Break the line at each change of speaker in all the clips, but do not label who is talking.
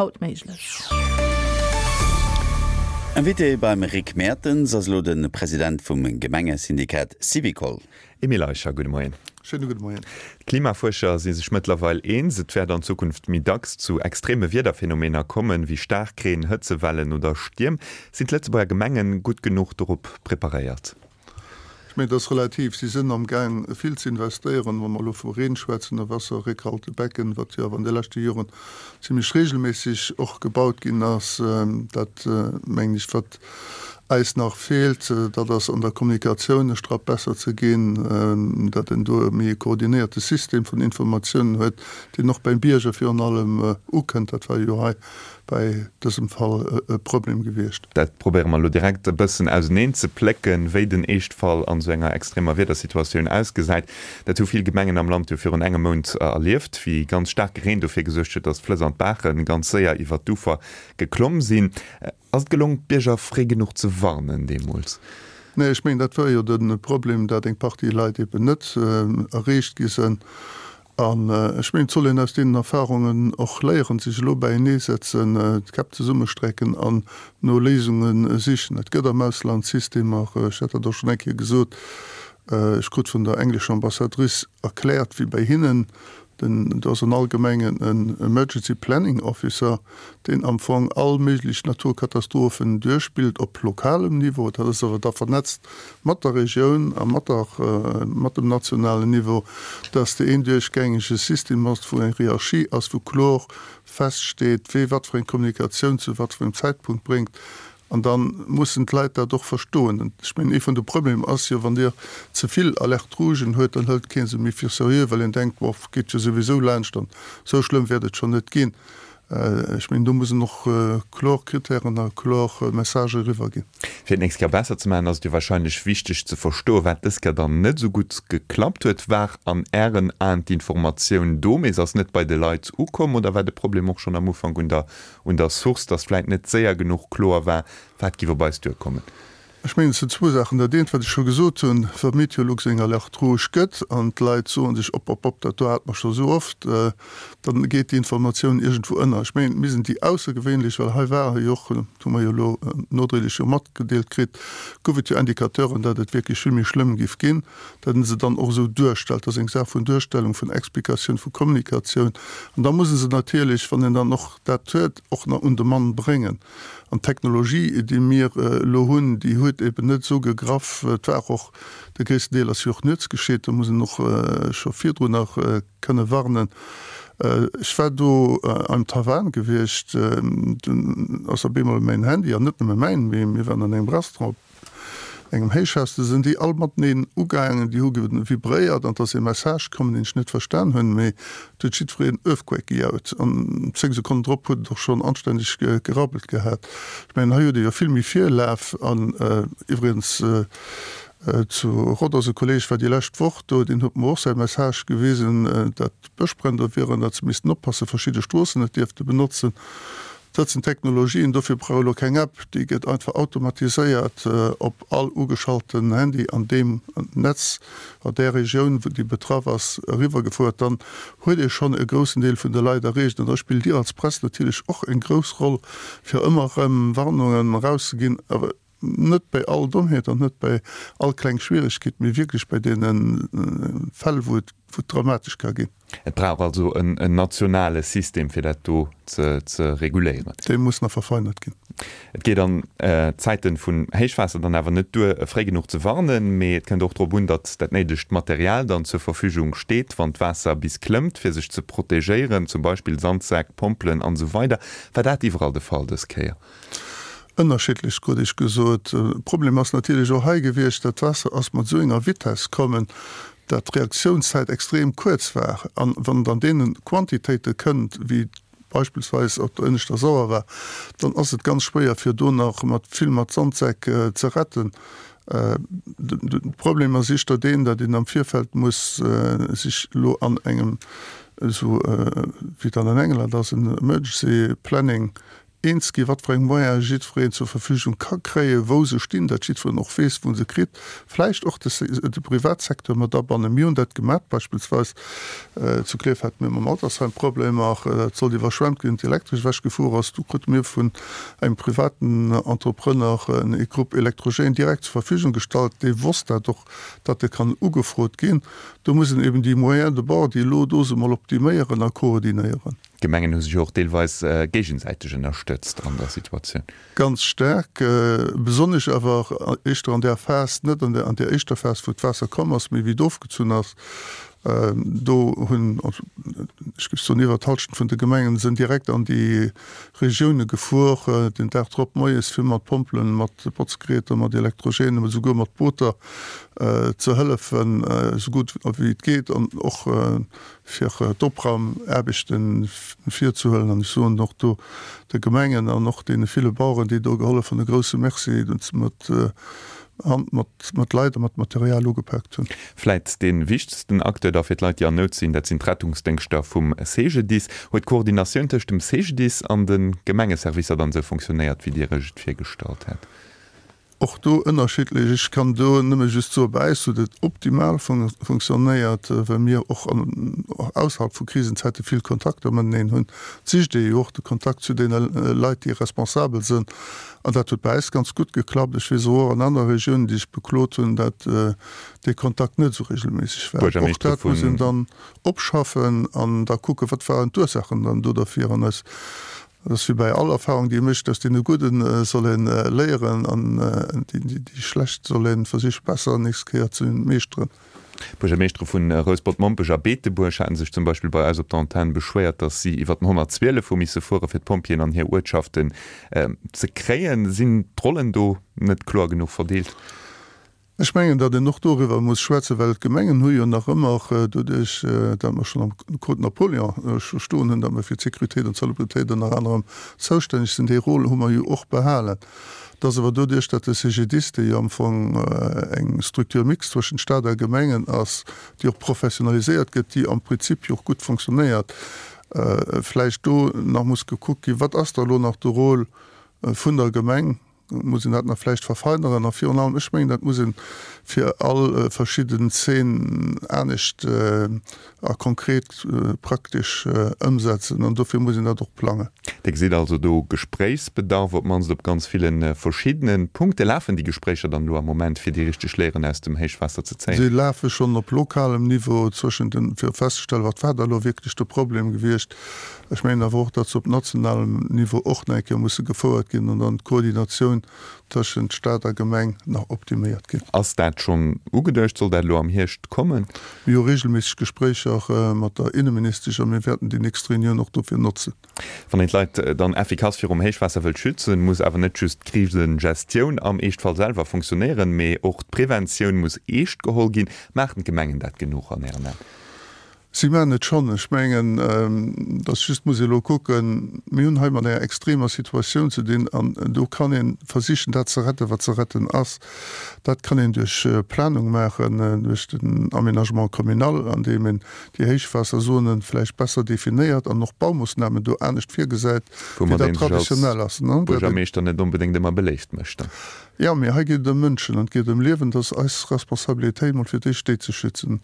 Haut méiglech.
Invité beim Rick Mertens ass elo de President vum Gemengesyndikat Syvicol.
Emile Eicher, gudde Moien.
Schéine gudde Moien.
D'Klimafuerscher si sech mëttlerweil eens, et wäert an Zukunft méi dacks zu extreme Wiederphenomener kommen, wéi Staarkreen, Hëtzewellen oder Stierm. Sinn d'Lëtzebuerger Gemengen gutt genuch dorop preparéiert?
Ech mengen, et ass relativ. Si sinn am Gaang vill ze investéieren, wa mer elo vu Reen schwätzen, a Wasserréckhaltebecken, wat jo awer an de leschte Joren zimlech regelméisseg och gebaut ginn ass. Dat, mengen ech, wat eis nach feelt, dat ass an der Kommunikatioun e Strapp besser ze ginn, datt een do e méi e koordinéierte System vun Informatiounen huet, deen och beim Bierger virun allem ukënnt. Dat war jo hei bäi dësem Fall e Problem gewiescht.
Dat probéiere mer elo direkt e bëssen auseneen ze plécken, wéi den Eeschtfall an esou enger extremer Wiedersituatioun ausgesäit. Dat hu vill Gemengen am Land jo virun engem Mount erlieft, wéi ganz staarke Reen dofir gesuergt huet, datt d'Flëss an d'Baache ganz séier iwwert d'Ufer geklomm sinn. Ass et gelong, d'Bierger fréi genuch ze warnen deemools?
Nee, ech mengen, dat war jo de Problem, dat eng Partie Leit eben net erreecht gi sënn. An ech mengen, et soll een aus deenen Erfahrungen och léieren, sech elo bäienee setzen, d'Käpp zesummestrecken an no Léisunge sichen. Et gëtt am Ausland Systemer, ech hat dat och schonn eng Kéier gesot, ech krut vun der englescher Ambassadrice erkläert, wéi bei hinnen den, do ass an all Gemeng en Emergency Planning Officer, deen am Fong all méiglech Naturkatastrophen duerchspillt op lokalem Niveau. Dat ass awer da vernetzt mat der Regioun a mat der, mat dem nationalen Niveau, dass de een duerchgängege System ass, wou eng Hierarchie ass, wou kloer feststeet, wee wat fir eng Kommunikatioun zu wat fir engem Zäitpunkt bréngt. An da mussen d'Leit dat och verstoen. Ech mengen, ee vun de Problemer ass jo, wann Dir ze vill Alerte rougen huet, dann hëlt kee se méi fir seriö, well een denkt, Bof, geet jo souwisou laanscht an esou schlëmm wäert et schonn net ginn. Ech mengen, do mussen och kloer Kritären a kloer Messagë eriwwer ginn.
Fir et d'nächst Kéier besser ze maachen, ass et jo wahrscheinlech wichteg ze verstoen, wat dës Kéier dann net esou gutt geklappt huet. War an Ären Aen d'Informatioun do, mee se ass net bei de Leit ukomm oder war de Problem och schonn am Ufank un der un der Source, dass vläit net séier genuch kloer war, wat giff op eis duerkommen?
Ech mengen, et sinn zwou Saachen. Dat eent, wat ech scho gesot hunn, Wa Meteolux eng Alerte rouge gëtt an d'Leit soe sech, Op, op, op, dat do hate mer scho sou oft, dann geet déi Informatioun iergendwou ënner. Ech mengen, mir sinn déi aussergewéinlech, well hei ware jo och, dat hu mer jo elo nodréiglech jo matgedeelt kritt, gouf et jo Indicateuren, datt et wierklech vill méi schlëmm giff ginn, datt ee se dann och esou duerstellt. Dat ass eng Saach vun Duerstellung, vun Explikatioun, vu Kommunikatioun. An da muss ee se natierlech, wann een dann och dat huet, och nach un de Mann bréngen. An d'Technologie, déi mir elo hunn, déi huet eben net esou gegraff. Et war och, de gréissten Deel ass jo och nuets geschitt, do muss een och scho virdrun nach kënne warnen. Ech war do am Taiwan gewiescht, dunn ass op eemol mäin Handy, an net nëmme mäin, mee mir waren an engem Restaurant, engem Héichhaus, du sinn déi all mateneen ugaangen, déi hu vibréiert an et ass ee Message komm, deen ech net verstan hunn, mee et huet jiddwereen Earthquake gejaut an 10 Sekonnen drop huet et och schonn anstänneg gerabbelt gehat. Ech mengen, hei huet ee jo vill méi Virlaf an iwwregens zu Rhodos, e Kolleeg war déi lescht Woch do, deen huet mer och säi Message gewisen, dat Bëschbränn do wieren, datt se missten oppassen, verschidde Stroossen net dierfte benotzen. Dat sinn Technologien, dofir brauch elo keng App, déi gëtt einfach automatiséiert op all ugeschalten Handy an deem Netz, an där Regioun, wou déi betraff ass, eriwwergefouert. Dann huet ee schonn e groussen Deel vun de Leit erreecht. An da spillt Dir als Press natierlech och eng grouss Roll, fir ëmmer erëm Warnungen erauszeginn. Awer Net bei all Dommheet an net bei all kleng Schwieregkeet, mee wierklech bei deene Fäll, wou et dramatesch ka ginn.
Et brauch also en nationale System, fir dat do ze reguléieren.
Dee muss nach verfeinert ginn.
Et geet an Zäite vun Héichwaasser dann awer net duer, fréi genuch ze warnen, mee et kënnt och drop un, datt dat néidegt Material dann zur Verfügung steet, wann d'Waasser bis klëmmt, fir sech ze protegéieren, zum Beispill Sandsäck, Pompelen an esou weider. War dat iwwerall de Fall dës Kéier?
Ënnerschiddlech, krut ech gesot. Problem ass natierlech och hei gewiescht, dat d'Waasser ass mat esou enger Vitesse kommen, dat d'Reaktiounszäit extrem kuerz war. An wann et an deene Quantitéite kënnt, wéi beispillsweis op der ënneschter Sauer war, dann ass et ganz schwéier fir do nach mat vill mat Sandsäck ze retten. De Problem ass éischter deen, datt een am Virfeld muss sech elo an engem, esou wéi et dann an England ass, en Emergency Planning. Eens ginn, wat fir eng Moyene jiddwereen zur Verfügung ka kréien, wou se stinn, datt jiddwereen och weess, wou en se kritt, vläicht och de Privatsecteur mat abannen. Mir hunn dat gemat, beispillsweis zu Klierf hate mir mam Altersheim Problemer, dat sollt iwwerschwemmt ginn, d'Elektresch ewechgefuer ass. Do krute mir vun engem privaten Entrepreneur e Groupe électrogène direkt zur Verfügung gestallt, dee wosst dat och, datt e kann ugefrot ginn. Do muss een eben déi Moyens de bord, déi elo do sinn, mol optiméieren a koordinéieren.
D'Gemengen hu sech jo och deelweis géigesäiteg ënnerstëtzt an der Situatioun.
Ganz staark, besonnesch awer éischter an där Phas, net an där éischter Phas, wou d'Waasser komm ass, mee wéi et ofgezunn ass. Do hunn, ech géif soen, iwwer d'Hallschent vun de Gemengen sinn direkt an déi Regioune gefuer, den Dag drop moies, fir mat Pompelen, mat Botzgeräter, mat Elektrogènen, esouguer mat Booter ze hëllefen, esou gutt wéi et geet an och fir d'Opraumaarbechte virzehuelen. An ech soen och do de Gemengen an och deene ville Baueren, déi do gehollef hunn, e grouse Merci, datt se mat Hand, mat Leit a mat Material ugepaakt hunn.
Vläit dee wichtegsten Acteur da fir d'Leit, déi an Nout sinn, dat sinn d'Rettungsdéngschter vum CGDIS. Huet d'Koordinatioun tëscht dem CGDIS an de Gemengeservicer dann esou fonctionnéiert, wéi Dir Iech et virgestallt hat?
Och do ënnerschiddlech. Ech kann do nëmme just soen, bei äis huet et optimal funktionéiert, well mir och ausserhalb vu Krisenzäite vill Kontakter mateneen hunn. Et sicht ee jo och de Kontakt zu deene Leit, déi responsabel sinn. An dat huet bei äis ganz gutt geklappt. Ech weess och an anere Regiounen, déi sech beklot hunn, dat dee Kontakt net esou regelméisseg war. Och dat muss een dann opschaffen an da kucken, wat waren d'Ursaachen dann do derfir. An eis Et ass wéi bäi all Erfahrung, déi ee mécht, aus deene gudden soll ee léieren an déi schlecht soll ee versiche besser nächst Kéier ze meeschteren.
D'Buergermeeschtere vu Rouspert-Mompech a Beetebuerg haten sech zum Beispill bei eis op der Antenn beschwéiert, datt si iwwer den 112 hu misse fuere fir d'Pompjeeën an hir Uertschaften ze kréien. Sinn d'Rollen do net kloer genuch verdeelt?
Ech mengen, datt een och doriwwer muss schwätzen, well d'Gemengen hu jo nach ëmmer, doduerch datt mer schonn am Code Napoléon scho stoen hunn, datt mer fir d'Sécurité an d'Salubritéit ënner anerem zoustänneg sinn, dee Rôle hu mer jo och behalen. Et ass awer doduerch, datt de CGDIS, dee jo am Fong eng Structure mixte zwëschent Stat a Gemengen ass, déi och professionaliséiert gëtt, déi am Prinzip jo och gutt fonctionnéiert, vläicht do nach muss gekuckt ginn, wat ass da elo nach de Rôle vun der Gemeng, Muss een dat nach vläicht verfeineren? A virun allem, ech mengen, dat muss ee fir all verschidden Zeen anescht a konkret praktesch ëmsetzen. An dofir muss een dat och plangen.
Dir gesitt also do Gespréichsbedarf, op d'mannst op ganz ville verschiddene Punkte. Lafen déi Gespréicher dann elo am Moment, fir déi richteg Léieren aus dem Héichwaasser ze zéien?
Si lafe schonn op lokalem Niveau zwëschent den, fir festzestellen, wat war da elo wierklech de Problem gewiescht. Ech mengen awer och, datt se op nationalem Niveau och nach eng Kéier musse gefouert ginn an dann d'Koordinatioun tëschent Stat a Gemeng nach optiméiert ginn.
Ass dat schonn ugeduecht? Soll dat elo am Hierscht kommen?
Mir hu regelméisseg Gespréicher mat der Inneministesch a mir wäerten déi nächst Reunioun och dofir notzen.
Wann een d'Leit dann effikass virum Héichwaasser wëllt schützen, muss awer net just d'Krisegestioun am Eeschtfall selwer funktionéieren, mee och d'Preventioun muss eescht geholl ginn. Maachen d'Gemengen dat genuch an Ären Aen?
Si maachen et schonn. Ech mengen, dass just muss ee elo kucken, mir hunn hei mat enger extremer Situatioun ze dinn an do kann ee versichen, dat ze retten, wat ze retten ass. Dat kann een duerch Planung maachen, duerch den Aménagement communal, andeem een déi Héichwaasserzonen vläicht besser definéiert an och Baumoossnamen do anescht virgesäit, wéi
dat traditionell ass. Woumat ee sech als Buergermeeschter net onbedéngt ëmmer beléift mécht dann.
Jo, mee hei geet et ëm Mënschen an et geet ëm Liewen. Et ass eis Responsabilitéit, mol fir d'éischt déi ze schützen.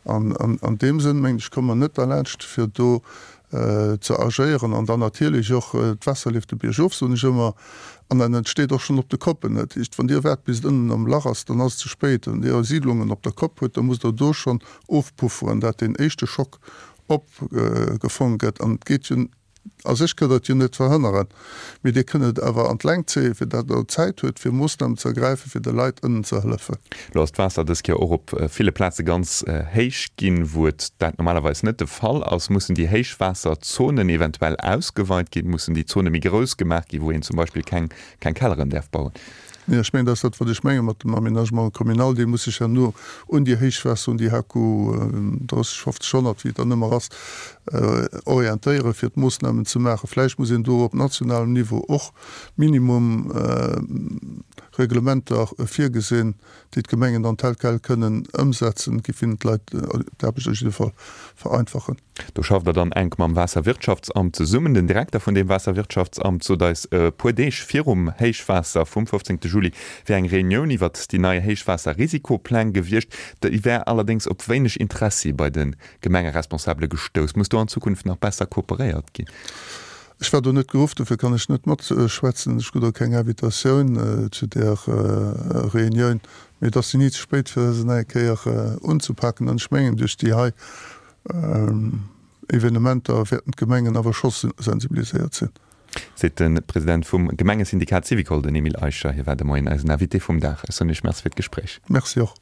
An an deem Sënn, mengen ech, komme mer net derlaanscht, fir do ze agéieren. An dann natierlech och, d'Waasser leeft de Bierg of, soen ech ëmmer, an dat entsteet och schonn op de Koppen. Dat heescht, wann Dir waart, bis et ënnen am Lach ass, dann ass et ze spéit. Wann Dir Siidlungen op der Kopp hutt, da musst Der do schonn ofpufferen, dat deen éischte Schock opgefongen gëtt. An et geet jo A sech kënnt Der et jo net verhënneren, mee Dir kënnt et awer an d'Längt zéien, fir datt Der Zäit huet, fir Moossnamen ze ergräifen, fir de Leit ënnen ze hëllefen.
Elo ass d'Waasser dës Kéier och op ville Plaze ganz héich ginn, wou et dat normalerweis net de Fall ass. Mussen déi Héichwaasserzonen eventuell ausgeweit ginn? Mussen déi Zone méi grouss gemaach ginn, wou een zum Beispill keng Kelleren däerf bauen?
Nee, ech mengen, dat ass dat, wat ech menge mat dem Aménagement communal. Dee muss sech herno un déi Héichwaasser, un déi HQ 30, 50, 100, wéi et dann ëmmer ass, orientéieren, fir d'Moossnamen ze maachen. Vläicht muss een do op nationalem Niveau och Minimum Reglementer virgesinn, déi d'Gemengen dann tel quel kënnen ëmsetzen. Et géif hinnen d'Leit d'Aarbecht op jidde Fall vereinfachen.
Do schafft Der dann enk mam Waasserwirtschaftsamt zesummen. Den Direkter vun deem Waasserwirtschaftsamt sot eis e puer Deeg virum Héichwaasser vum 15 Juli wär eng Reunioun iwwert déi nei Héichwaasserrisikopläng gewiescht. Déi wär allerdéngs op wéineg Interessi bei de Gemengeresponsabele gestouss. Muss do an Zukunft nach besser kooperéiert ginn?
Ech war do net geruff, dofir kann ech net matschwätzen. Ech krut och keng Invitatioun zu där Reunioun. Mee et ass ni ze spéit, fir se nach eng Kéier unzepaken. An ech mengen, duerch déi hei Evenementer wäerten d'Gemengen awer scho sensibiliséiert sinn.
Seet de President vum Gemengesyndikat Syvicol, den Emile Eicher. Hie war de Moien eisen Invité vum Dag. Ech soen Iech Merci fir d'Gespréich.
Merci och.